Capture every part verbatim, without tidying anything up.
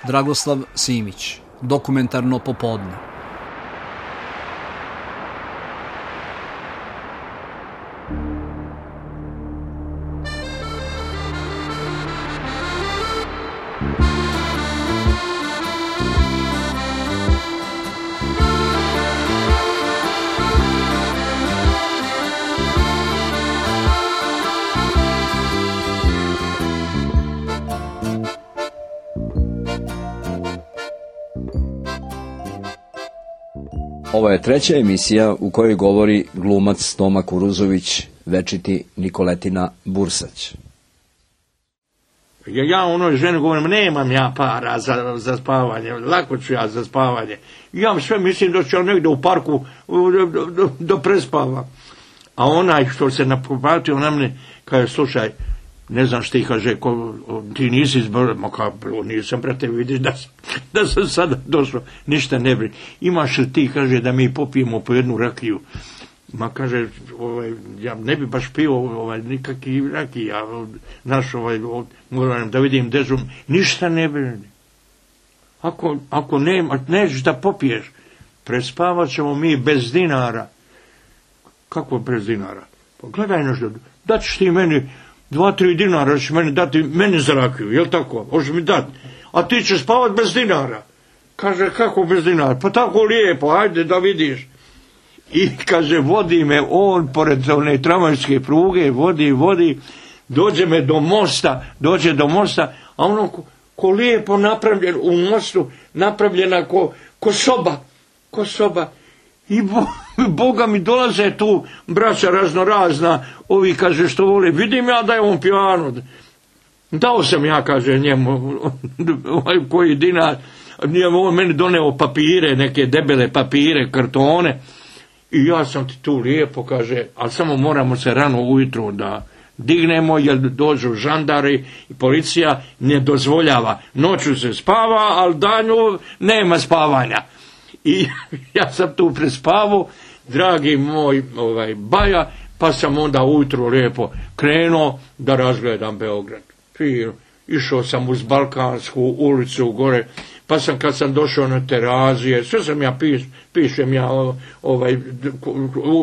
Dragoslav Simić, Dokumentarno popodne. Ovo je treća emisija u kojoj govori glumac Toma Kuruzović, večiti Nikoletina Bursać. Ja, ja onoj ženi govorim, nemam ja para za, za spavanje, lako ću ja za spavanje. Ja sve mislim da ću ja negdje u parku da, da, da prespavam. A onaj što se napopatio na mene, kaže, slušaj, ne znam što ti kaže, ko, ti nisi izborio, ma kao, nisam, brate, vidiš da sam, da sam sada došao, ništa ne brini. Imaš li ti, kaže, da mi popijemo po jednu rakiju? Ma kaže, ovaj, ja ne bi baš pio ovaj, nikakvi rakija, znaš, ovaj, moram da vidim dežum, ništa ne brini. Ako, ako nema, nećeš da popiješ, prespavat ćemo mi bez dinara. Kako bez dinara? Pa gledaj nešto, da ćeš ti meni dva, tri dinara će meni dati, meni za rakiju, jel tako? Možeš mi dati. A ti ćeš spavat bez dinara. Kaže, kako bez dinara? Pa tako lijepo, ajde da vidiš. I kaže, vodi me on pored one tramvajske pruge, vodi, vodi, dođe me do mosta, dođe do mosta, a ono ko, ko lijepo napravljen u mostu, napravljena ko, ko soba, ko soba. I bo, Boga mi dolaze tu braća raznorazna, ovi kaže što vole, vidim ja da je on pijano. Dao sam ja, kaže njemu, ovaj koji dinar, on meni doneo papire, neke debele papire, kartone, i ja sam ti tu lijepo, kaže, ali samo moramo se rano ujutro da dignemo, jer dođu žandari i policija ne dozvoljava. Noću se spava, ali danju nema spavanja. I ja sam tu prespavao, dragi moj ovaj, baja, pa sam onda ujutro lijepo krenuo da razgledam Beograd. Fino. Išao sam uz Balkansku ulicu gore, pa sam kad sam došao na Terazije, sve sam ja piš, pišem ja ovaj,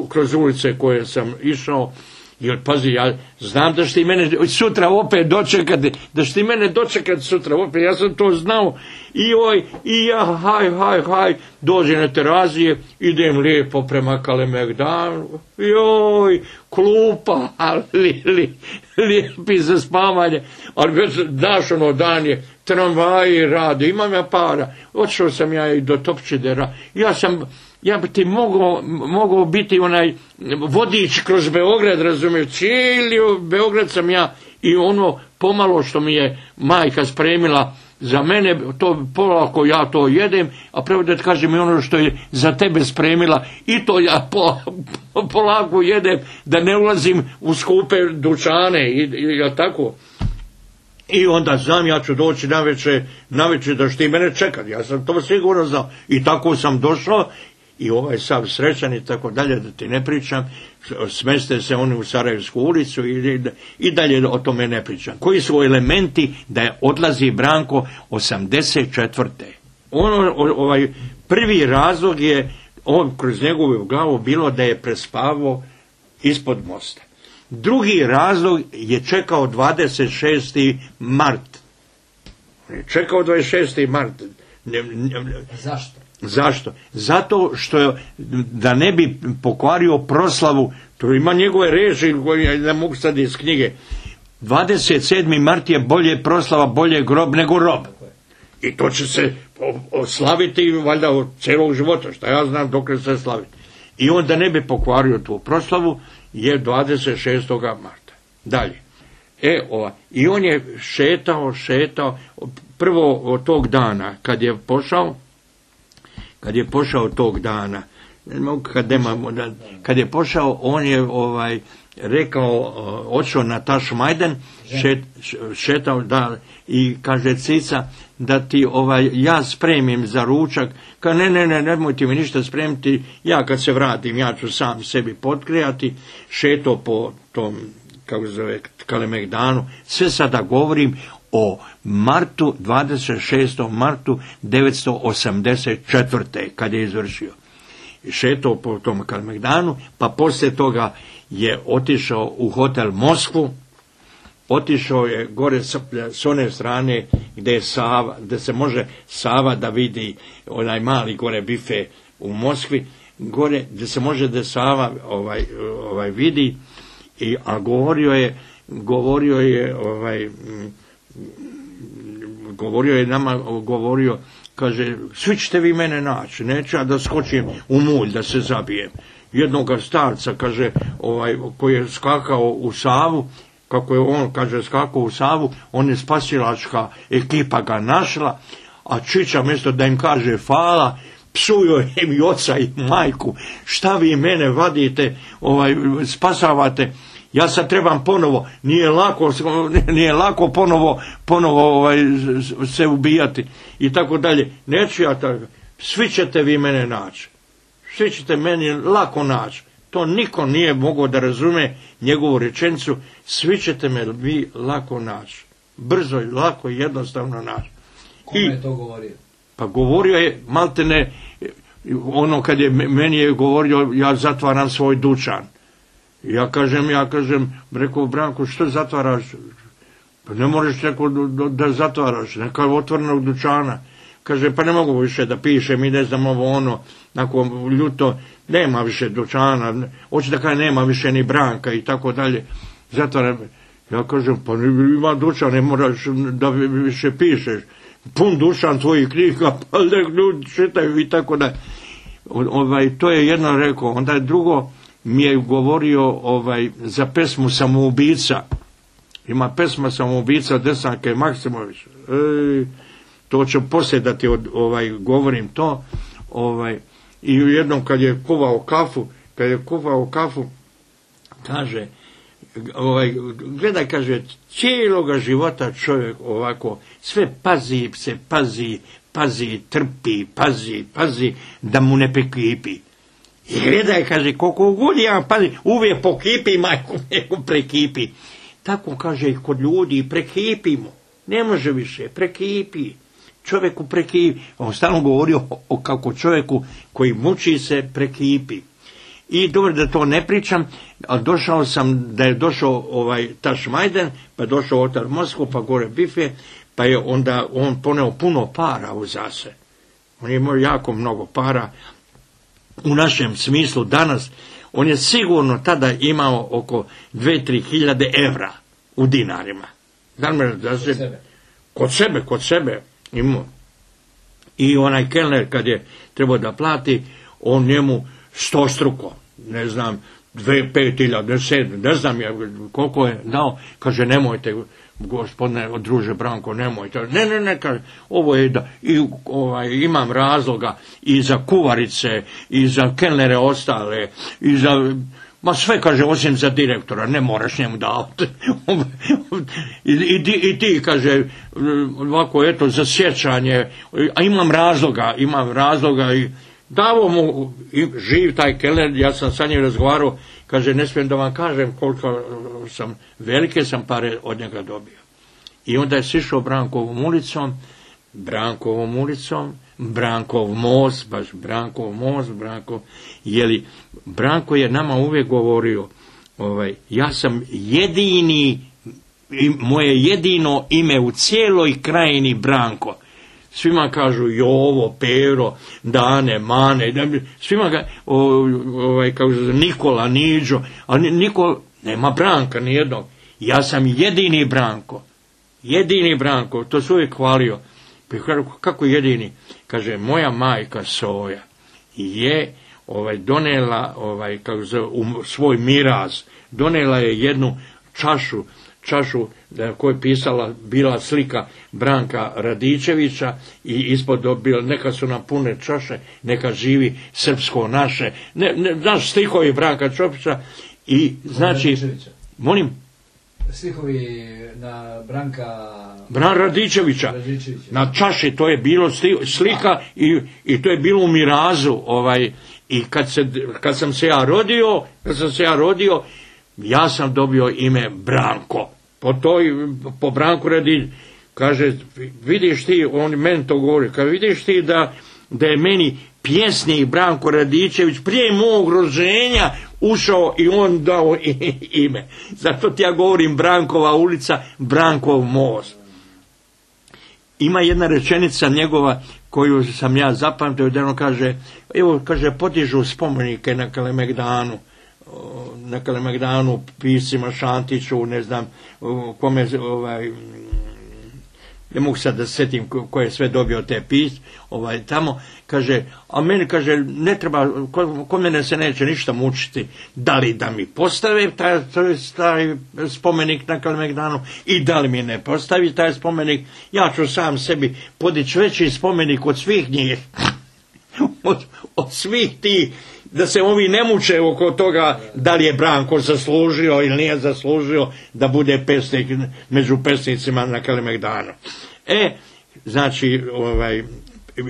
kroz ulice koje sam išao. Jer pazi, ja znam da će ti mene sutra opet dočekati, da će ti mene dočekati sutra opet, ja sam to znao. I oj, i ja, haj, haj, haj, dođe na Terazije, idem lijepo prema Kalemegdanu, joj, klupa, li, li, lijepi za spavanje, ali već daš ono dan je, tramvaji rade, imam ja para, otišao sam ja i do Topčidera, ja sam, ja bi ti mogao, mogao biti onaj vodič kroz Beograd, razumiješ, cijeli Beograd sam ja i ono pomalo što mi je majka spremila za mene, to polako ja to jedem, a pravo da kažem i ono što je za tebe spremila i to ja po, po, polako jedem, da ne ulazim u skupe dućane i, i ja tako. I onda znam, ja ću doći navečer, navečer da što ti mene čekati, ja sam to sigurno znao. I tako sam došao i ovaj sav srećan i tako dalje, da ti ne pričam, smeste se oni u Sarajevsku ulicu i, i dalje o tome ne pričam. Koji su elementi da je odlazi Branko osamdeset četvrte Ono, ovaj, prvi razlog je, on, kroz njegovu glavu bilo da je prespavao ispod mosta. Drugi razlog je čekao dvadeset šesti mart Čekao dvadeset šesti mart Ne, ne, ne. Zašto? Zašto? Zato što da ne bi pokvario proslavu, to ima njegove reči koje ne mogu sad iz knjige. dvadeset sedmi mart je bolje proslava, bolje grob nego rob. I to će se slaviti valjda od celog života, što ja znam dok se slaviti. I on da ne bi pokvario tu proslavu je dvadeset šestog marta Dalje. E, ova. I on je šetao, šetao, prvo od tog dana, kad je pošao, kad je pošao tog dana, kad, nemamo, kad je pošao, on je ovaj rekao, otišao na Tašmajdan, šet, šetao, da, i kaže Cica, da ti ovaj, ja spremim za ručak, ka ne, ne, ne, nemoj ti mi ništa spremiti, ja kad se vratim, ja ću sam sebi potkrijati, šetao po tom, kako se zove, Kalemegdanu, sve sada govorim, o martu, dvadeset šestom martu devetsto osamdeset četvrte kad je izvršio. Šetao po tom Kalemegdanu, pa poslije toga je otišao u hotel Moskvu, otišao je gore s one strane gdje je Sava, gdje se može Sava da vidi onaj mali gore bife u Moskvi, gore gdje se može da Sava ovaj, ovaj vidi, i, a govorio je, govorio je ovaj, govorio je nama, govorio, kaže, svi ćete vi mene naći, neću ja da skočim u mulj, da se zabijem. Jednoga starca, kaže, ovaj, koji je skakao u Savu, kako je on, kaže, skakao u Savu, on je spasilačka ekipa ga našla, a Čiča mjesto da im kaže hvala, psuju im i oca i majku, šta vi mene vadite, ovaj, spasavate, ja sad trebam ponovo, nije lako, nije lako ponovo, ponovo ovaj, se ubijati i tako dalje. Neću ja tako, svi ćete vi mene naći, svi ćete meni lako naći. To niko nije mogao da razume njegovu rečenicu, svi ćete me vi lako naći. Brzo i lako i jednostavno naći. Kome je to govorio? Pa govorio je, maltene, ono kad je meni je govorio, ja zatvaram svoj dućan. Ja kažem, ja kažem, rekao Branko, što zatvaraš? Pa ne možeš neko da, da zatvaraš, neka otvorenog dućana. Kaže, pa ne mogu više da pišem i ne znam ovo ono, nakon ljuto, nema više dućana, hoće da kaže nema više ni Branka i tako dalje. Zatvaram. Ja kažem, pa ima dućan, ne moraš da više pišeš. Pun dućan tvojih knjiga, pa nek ljudi čitaju i tako da. Ovaj, to je jedno rekao, onda je drugo mi je govorio ovaj, za pesmu Samoubica. Ima pesma Samoubica Desanke Maksimović. Ej, to ću poslije da ti od, ovaj, govorim to. Ovaj, i jednom kad je kuvao kafu, kad je kuvao kafu, kaže, ovaj, gledaj, kaže, cijeloga života čovjek ovako, sve pazi se, pazi, pazi, trpi, pazi, pazi, da mu ne prekipi. I gledaj, kaže, koliko god ja pazi, uvijek pokipi, majku, nego prekipi. Tako, kaže, i kod ljudi prekipimo. Ne može više, prekipi. Čovjeku prekipi. On stalno govorio o kako čovjeku koji muči se prekipi. I dobro da to ne pričam, ali došao sam, da je došao ovaj Tašmajden, pa je došao otar Moskvu, pa gore bife, pa je onda on poneo puno para u zase. On je imao jako mnogo para, u našem smislu danas, on je sigurno tada imao oko dve do tri hiljade evra u dinarima. Znam da se, kod sebe, kod sebe, kod sebe imao. I onaj kelner kad je trebao da plati, on njemu stostruko, ne znam, dve, pet hiljada, sedam, ne znam ja koliko je dao, kaže nemojte, gospodine druže Branko, nemojte, ne, ne, ne, kaže, ovo je da, i, ovaj, imam razloga i za kuvarice, i za kelnere ostale, i za, ma sve, kaže, osim za direktora, ne moraš njemu davati. I, i, I ti, kaže, ovako, eto, za sjećanje, a imam razloga, imam razloga i davo mu, i živ taj kelner, ja sam sa njim razgovarao, kaže, ne smijem da vam kažem koliko sam, velike sam pare od njega dobio. I onda je sišao Brankovom ulicom, Brankovom ulicom, Brankov most, baš Brankov most, Brankov, jeli, Branko je nama uvijek govorio, ovaj, ja sam jedini, moje jedino ime u cijeloj krajini Branko. Svima kažu Jovo, Pero, Dane, Mane, svima ga, ovaj, kažu Nikola, Niđo, a niko, nema Branka nijednog. Ja sam jedini Branko, jedini Branko, to su uvijek hvalio. Kako jedini? Kaže, moja majka Soja je ovaj, donela ovaj, kako zove, u svoj miraz, donela je jednu čašu, čašu na kojoj je pisala, bila slika Branka Radičevića i ispod dobila, neka su nam pune čaše, neka živi srpsko naše, ne, ne, znaš stihovi Branka Čopića i znači, Radičevića. Molim? Stihovi na Branka Bran Radičevića, Radičevića. Na čaši, to je bilo slika i, i to je bilo u mirazu, ovaj, i kad, se, kad sam se ja rodio, kad sam se ja rodio, ja sam dobio ime Branko, po toj, po Branku Radičeviću. kaže, vidiš ti, on meni to govori, kaže, vidiš ti da, da je meni pjesnik Branko Radičević prije mog rođenja ušao i on dao ime. Zato ti ja govorim Brankova ulica, Brankov most. Ima jedna rečenica njegova koju sam ja zapamtio, da on kaže, evo, kaže, podižu spomenike na Kalemegdanu, na Kalemegdanu piscima Šantiću, ne znam, kome, ovaj, ne mogu sad da se sjetim ko je sve dobio te pis, ovaj, tamo, kaže, a meni, kaže, ne treba, ko, ko mene se neće ništa mučiti, da li da mi postave taj, taj spomenik na Kalemegdanu i da li mi ne postavi taj spomenik, ja ću sam sebi podići veći spomenik od svih njih, od, od svih tih, da se ovi ne muče oko toga da li je Branko zaslužio ili nije zaslužio da bude pesnik među pesnicima na Kalemegdanu. E, znači, ovaj,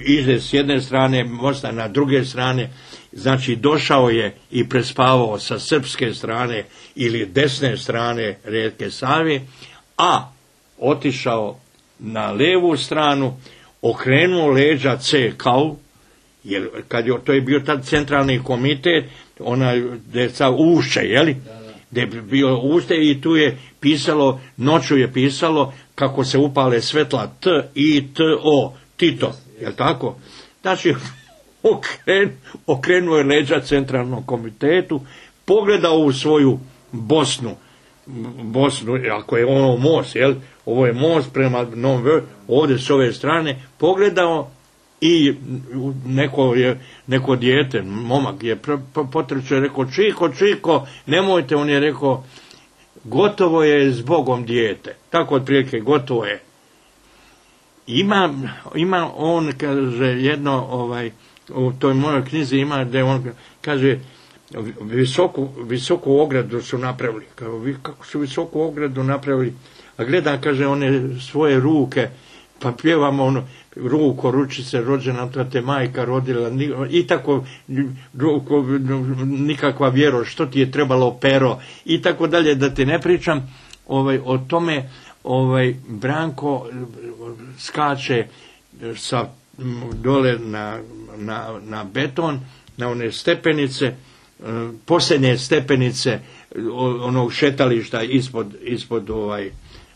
ide s jedne strane mosta, na druge strane, znači došao je i prespavao sa srpske strane ili desne strane rijeke Save, a otišao na levu stranu, okrenuo leđa C K-u, jer kad je, to je bio tad centralni komitet, onaj, gdje je sad Ušće, jeli? Gdje je bio Ušće i tu je pisalo, noću je pisalo kako se upale svetla T, I, T, O, Tito, jel tako? Znači, okren, okrenuo je leđa centralnom komitetu, pogledao u svoju Bosnu, Bosnu, ako je ono most, jel? Ovo je most prema Novom Beogradu, ovdje s ove strane, pogledao i neko je, neko dijete, momak je potrčao i rekao, Čiko, Čiko, nemojte, on je rekao, gotovo je s Bogom dijete. Tako otprilike, gotovo je. Ima, ima on, kaže, jedno, ovaj, u toj mojoj knjizi ima, da on kaže, visoku, visoku ogradu su napravili. Kao, kako su visoku ogradu napravili? A gledam, kaže, one svoje ruke, pa pjevamo ono, ruko, ručice, rođena, to te majka rodila, i tako, ruko, nikakva vjero, što ti je trebalo pero, i tako dalje, da ti ne pričam, ovaj, o tome, ovaj, Branko skače sa dole na, na, na beton, na one stepenice, posljednje stepenice onog šetališta ispod, ispod ovaj,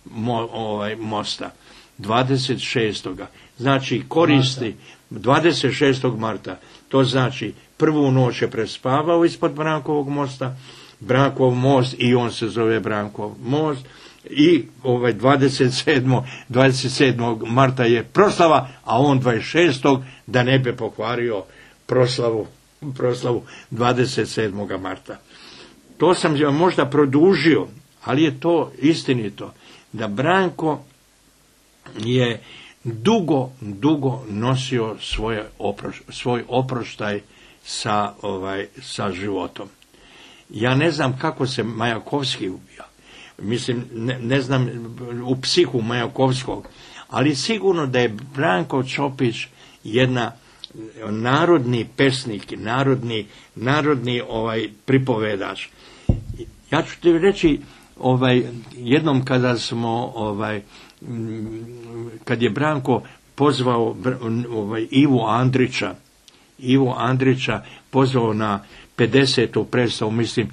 mo, ovaj, mosta. dvadeset šestog Znači koristi dvadeset šestog marta To znači prvu noć je prespavao ispod Brankovog mosta, Brankov most i on se zove Brankov most. I ovaj dvadeset sedmog marta je proslava, a on dvadeset šestog da ne bi pokvario proslavu, proslavu dvadeset sedmog marta To sam možda produžio, ali je to istinito, da Branko je dugo, dugo nosio svoje oproš, svoj oproštaj sa, ovaj, sa životom. Ja ne znam kako se Majakovski ubija. Mislim, ne, ne znam u psihu Majakovskog, ali sigurno da je Branko Čopić jedna narodni pesnik, narodni, narodni ovaj, pripovedač. Ja ću ti reći, ovaj, jednom kada smo, ovaj, kad je Branko pozvao ovaj, Ivu Andrića, Ivu Andrića pozvao na pedesetu predstavu, mislim,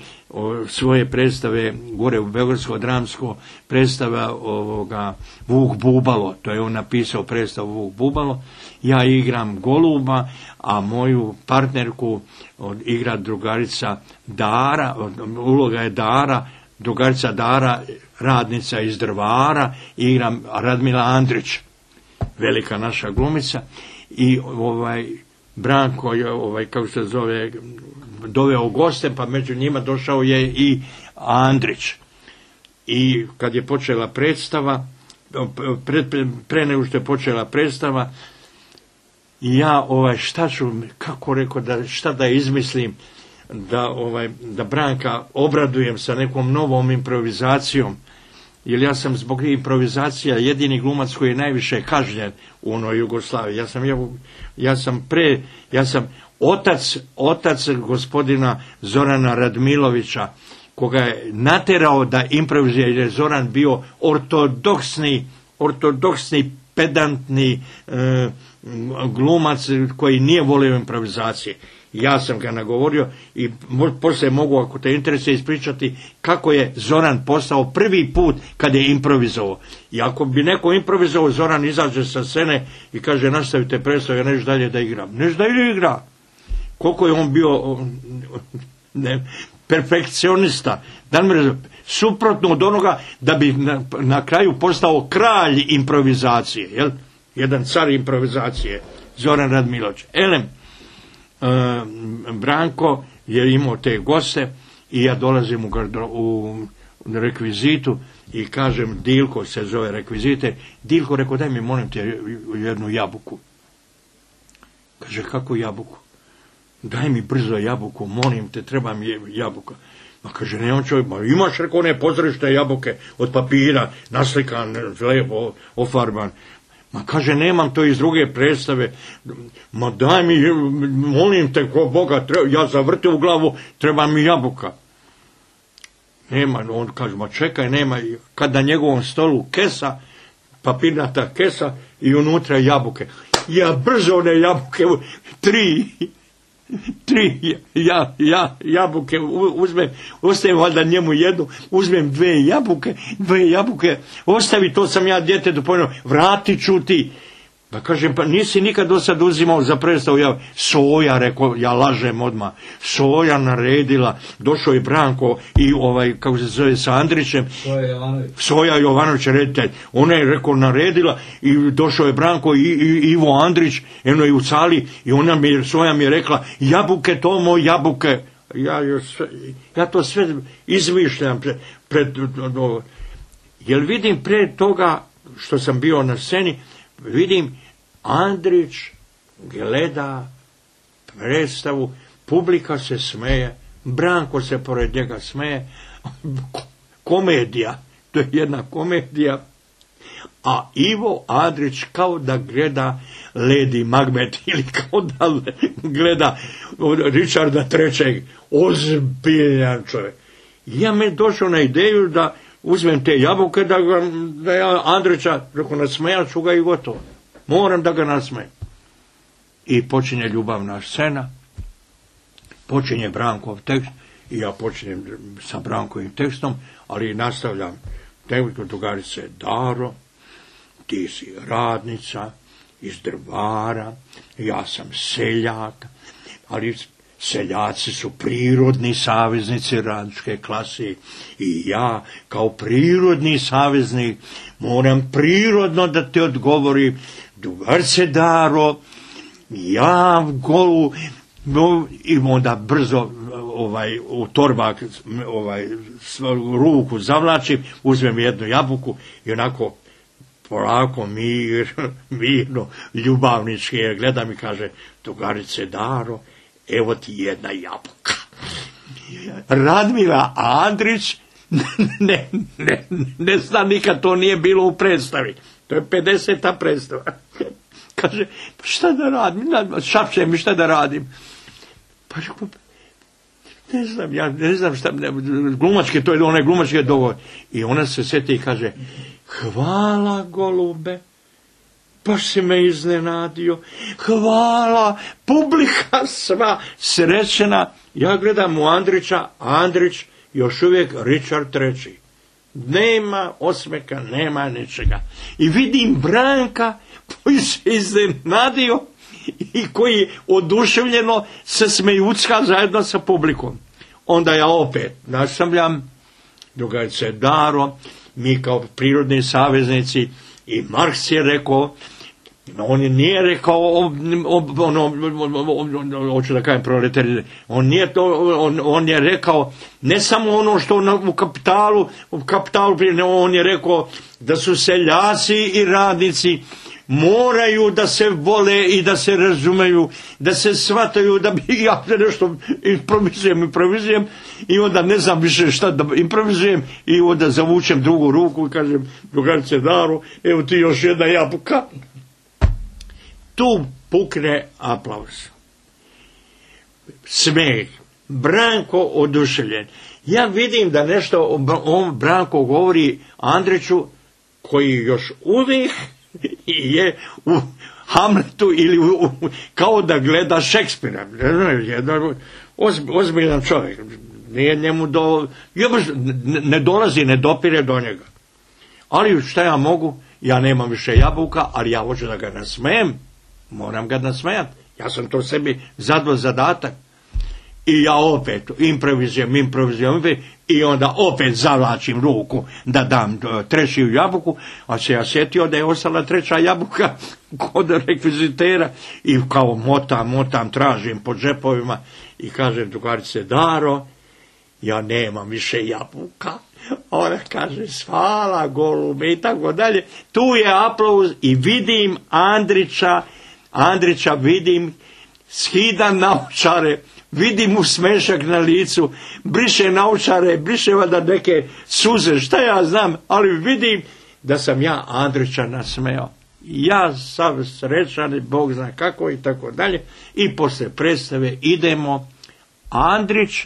svoje predstave gore u Beogradsko dramsko, predstava ovoga Vuk Bubalo, to je on napisao predstavu Vuk Bubalo, ja igram Goluba, a moju partnerku igra drugarica Dara, uloga je Dara, drugarica Dara, radnica iz Drvara, igram Radmila Andrić, velika naša glumica, i ovaj Branko je, ovaj, kako se zove, doveo goste, pa među njima došao je i Andrić. I kad je počela predstava, pre, pre, pre nego što je počela predstava, ja, ovaj, šta ću, kako rekao, da, šta da izmislim, da, ovaj, da Branka obradujem sa nekom novom improvizacijom, jer ja sam zbog improvizacija jedini glumac koji je najviše kažnjen u onoj Jugoslaviji. Ja sam, ja, ja sam pre, ja sam otac, otac gospodina Zorana Radmilovića, koga je naterao da improvizuje, jer je Zoran bio ortodoksni, ortodoksni, pedantni e, glumac koji nije volio improvizacije. Ja sam ga nagovorio i poslije mogu, ako te interesuje, ispričati kako je Zoran postao prvi put kad je improvizovao. I ako bi neko improvizovao, Zoran izađe sa scene i kaže nastavite predstavu, ja neš dalje da igram. Neš da igra. Koliko je on bio ne, perfekcionista. Suprotno od onoga da bi na, na kraju postao kralj improvizacije. Jel? Jedan car improvizacije. Zoran Radmilović. Elem, Uh, Branko je imao te goste i ja dolazim u, gardro, u rekvizitu i kažem, Dilko se zove rekvizite, Dilko, rekao, daj mi molim te jednu jabuku. Kaže, kako jabuku? Daj mi brzo jabuku, molim te, treba mi jabuka. Ma kaže, nemam čovjek, ma imaš, rekao, one pozorište jabuke od papira, naslikan, lepo, ofarban. Ma kaže, nemam to iz druge predstave. Ma daj mi, molim te, ko Boga, treba, ja zavrtim u glavu, treba mi jabuka. Nema, on kaže, ma čekaj, nema. Kad na njegovom stolu kesa, papirnata kesa i unutra jabuke. Ja brzo one jabuke, tri, tri ja, ja, jabuke uzmem, ostavim valjda njemu jednu, uzmem dve jabuke, dve jabuke, ostavi, to sam ja dijete dopojno, vratit ću ti. Pa kažem, pa nisi nikad do sad uzimao za predstavu, ja, Soja, rekao, ja lažem odmah, Soja naredila, došao je Branko i ovaj, kako se zove, sa Andrićem, Soja Jovanović, Soja Jovanović reditelj, ona je, rekao, naredila i došao je Branko i, i Ivo Andrić, eno je u sali i ona mi, Soja mi je rekla, jabuke Tomo, jabuke, ja, ja to sve izmišljam pred, pred, jer vidim pre toga što sam bio na sceni, vidim Andrić gleda predstavu, publika se smeje, Branko se pored njega smeje, komedija, to je jedna komedija, a Ivo Andrić kao da gleda Lady Macbeth ili kao da gleda Richarda trećeg, ozbiljan čovjek. Ja me došao na ideju da uzmem te jabuke, da, ga, da ja Andrića, rekao, nasmejat ću ga i gotovo. Moram da ga nasmejem. I počinje ljubavna scena, počinje Brankov tekst, i ja počinjem sa Brankovim tekstom, ali nastavljam tekst, drugarice, Daro, ti si radnica iz Drvara, ja sam seljak, ali seljaci su prirodni saveznici radničke klase i ja kao prirodni saveznik moram prirodno da te odgovorim, drugarice Daro, ja golu, no, i onda brzo ovaj, u torbak ovaj, ruku zavlačim, uzmem jednu jabuku i onako polako, mir, mirno, ljubavnički je gledam i kaže, drugarice Daro, evo ti jedna jabuka. Radmila Andrić ne, ne, ne zna nikad, to nije bilo u predstavi. To je pedeseta predstava. Kaže, pa šta da radim? Šapše mi, šta da radim? Pa ne znam, ja ne znam šta, ne, glumačke, to je onaj glumačke dogovor. I ona se sjeti i kaže, hvala golube, baš si me iznenadio, hvala, publika sva srećena. Ja gledam u Andrića, a Andrić još uvijek Richard treći. Nema osmeka, nema ničega. I vidim Branka koji se iznenadio i koji oduševljeno se smejucka zajedno sa publikom. Onda ja opet nastavljam, drugarice Daro, mi kao prirodni saveznici, i Marks je rekao, on nije rekao, ono, hoću da kažem proletari, on nije to, on, on je rekao, ne samo ono što na, u kapitalu, u kapitalu, on je rekao da su seljaci i radnici moraju da se vole i da se razumeju, da se shvataju, da bi ja nešto improvizujem, improvizujem i onda ne znam više šta da improvizujem i onda zavučem drugu ruku i kažem, drugarice Daro, evo ti još jedna jabuka. Tu pukne aplauz. Smeh. Branko oduševljen. Ja vidim da nešto on Branko govori Andriću, koji još uvijek je u Hamletu ili u, u, kao da gleda Šekspira. Jedan ozbiljan čovjek. Nije njemu do... ne dolazi, ne dopire do njega. Ali šta ja mogu? Ja nemam više jabuka, ali ja hoću da ga nasmejem. Moram ga nasmejati. Ja sam to sebi zadao zadatak. I ja opet improvizujem, improvizujem, i onda opet zavlačim ruku da dam treću jabuku, a se ja sjetio da je ostala treća jabuka kod rekvizitera i kao motam, motam, tražim po džepovima i kažem drugarice, Daro, ja nemam više jabuka. Ona kaže, hvala golube i tako dalje. Tu je aplauz i vidim Andrića, Andrića vidim, skidam naočare, vidim mu smešak na licu, briše naočare, briše valjda neke suze, šta ja znam, ali vidim da sam ja Andrića nasmeo. Ja sam srećan, Bog zna kako i tako dalje. I posle predstave idemo Andrić,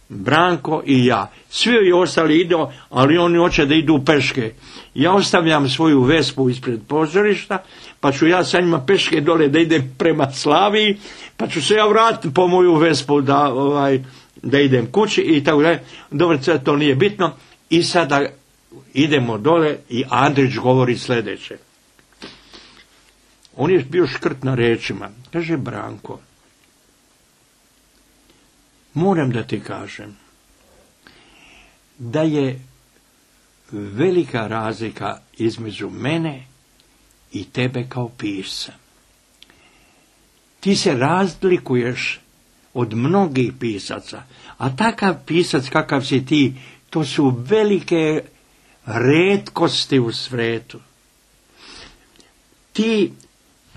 Branko i ja. Svi ostali idu, ali oni hoće da idu peške. Ja ostavljam svoju Vespu ispred pozorišta, pa ću ja sa njima peške dole da idem prema Slaviji, pa ću se ja vratiti po moju Vespu da, ovaj, da idem kući i tako dalje. Dobro, to nije bitno. I sada idemo dole i Andrić govori sljedeće. On je bio škrt na rečima. Kaže, Branko, moram da ti kažem da je velika razlika između mene i tebe kao pisca. Ti se razlikuješ od mnogih pisaca, a takav pisac kakav si ti, to su velike retkosti u svijetu. Ti,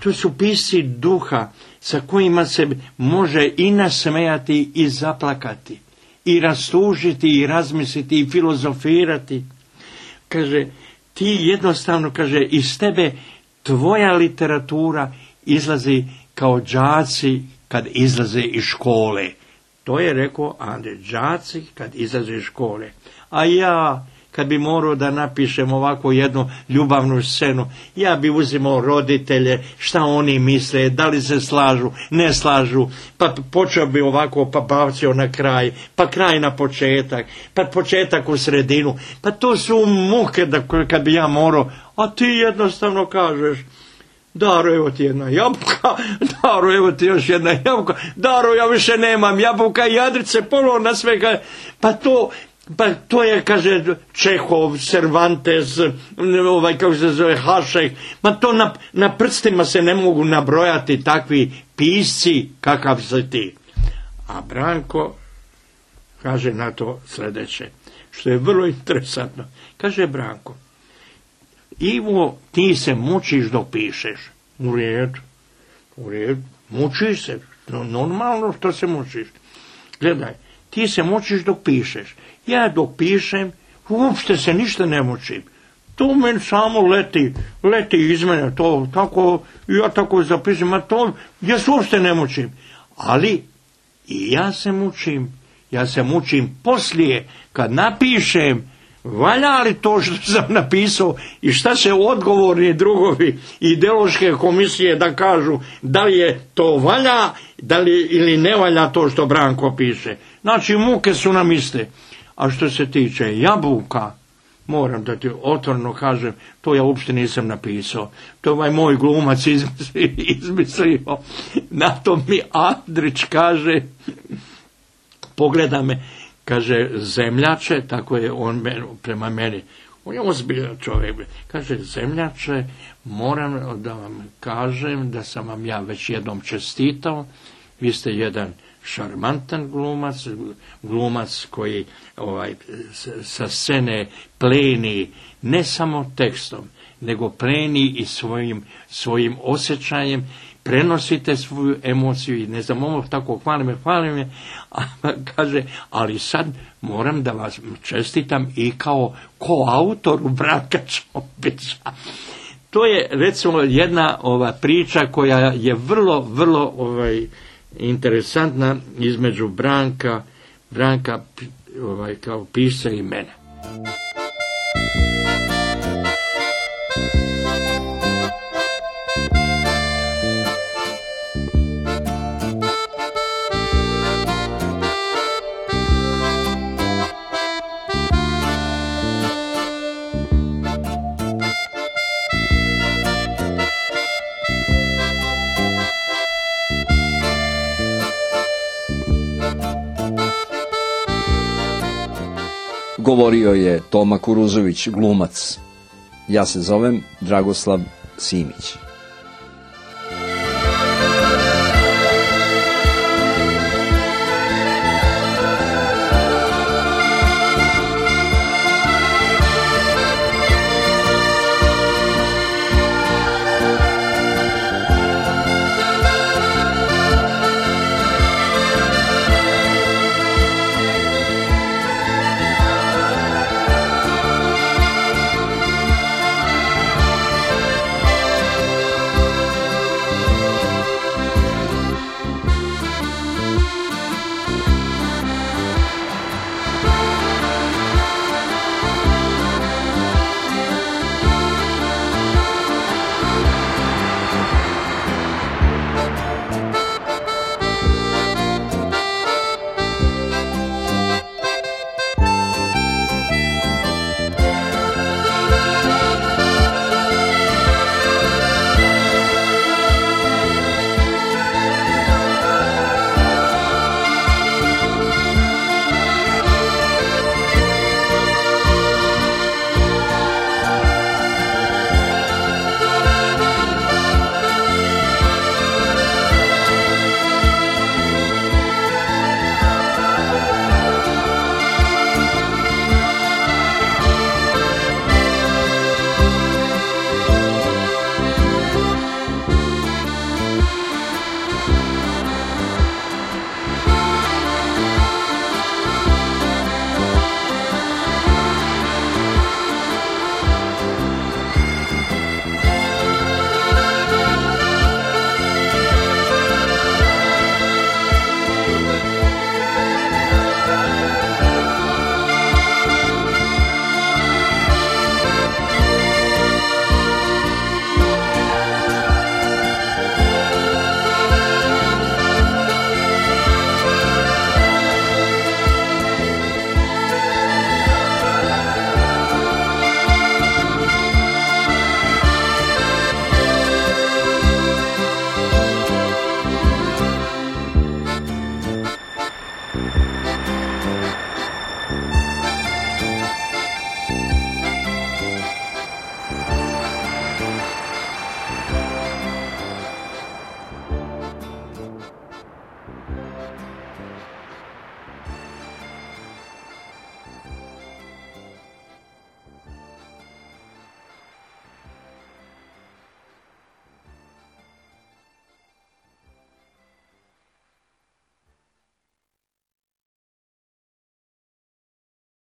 to su pisci duha sa kojima se može i nasmejati i zaplakati, i rastužiti, i razmisliti, i filozofirati. Kaže, ti jednostavno, kaže, iz tebe tvoja literatura izlazi kao đaci kad izlaze iz škole. To je rekao Andrej, đaci kad izlaze iz škole. A ja, kad bi morao da napišem ovako jednu ljubavnu scenu, ja bi uzimao roditelje, šta oni misle, da li se slažu, ne slažu, pa počeo bi ovako, pa bavcio na kraj, pa kraj na početak, pa početak u sredinu, pa to su muke da kad bi ja morao, a ti jednostavno kažeš, Daro, evo ti jedna jabuka, Daro, evo ti još jedna jabuka, Daro, ja više nemam jabuka i Andrice polovna svega, pa to... Pa to je, kaže, Čehov, Cervantes, ovaj, kako se zove, Hašek, ma to na, na prstima se ne mogu nabrojati takvi pisci kakav si ti. A Branko kaže na to sljedeće, što je vrlo interesantno. Kaže Branko, Ivo, ti se mučiš dok pišeš. U redu, u redu, mučiš se, normalno što se mučiš. Gledaj, ti se mučiš dok pišeš. Ja dok pišem, uopšte se ništa ne mučim. To meni samo leti, leti iz mene, to tako, ja tako zapišem, a to, ja se uopšte ne mučim. Ali, i ja se mučim, ja se mučim poslije, kad napišem, valja li to što sam napisao i šta se odgovorni drugovi ideološke komisije da kažu, da li je to valja, da li ili ne valja to što Branko piše. Znači, muke su nam iste. A što se tiče jabuka, moram da ti otvoreno kažem, to ja uopšte nisam napisao. To je ovaj moj glumac izmislio. izmislio. Na to mi Andrić kaže, pogleda me, kaže, zemljače, tako je on prema meni. On je ozbiljan čovjek. Kaže, zemljače, moram da vam kažem da sam vam ja već jednom čestitao. Vi ste jedan šarmantan glumac, glumac koji ovaj, sa scene pleni ne samo tekstom, nego pleni i svojim, svojim osjećajem, prenosite svoju emociju i ne znam, ovo tako hvalim me, hvalim me, a kaže, ali sad moram da vas čestitam i kao koautoru Branka Čopića. To je, recimo, jedna ova priča koja je vrlo, vrlo ovaj, interesantna između Branka, Branka ovaj, kao pisca i mene. Govorio je Toma Kuruzović, glumac. Ja se zovem Dragoslav Simić.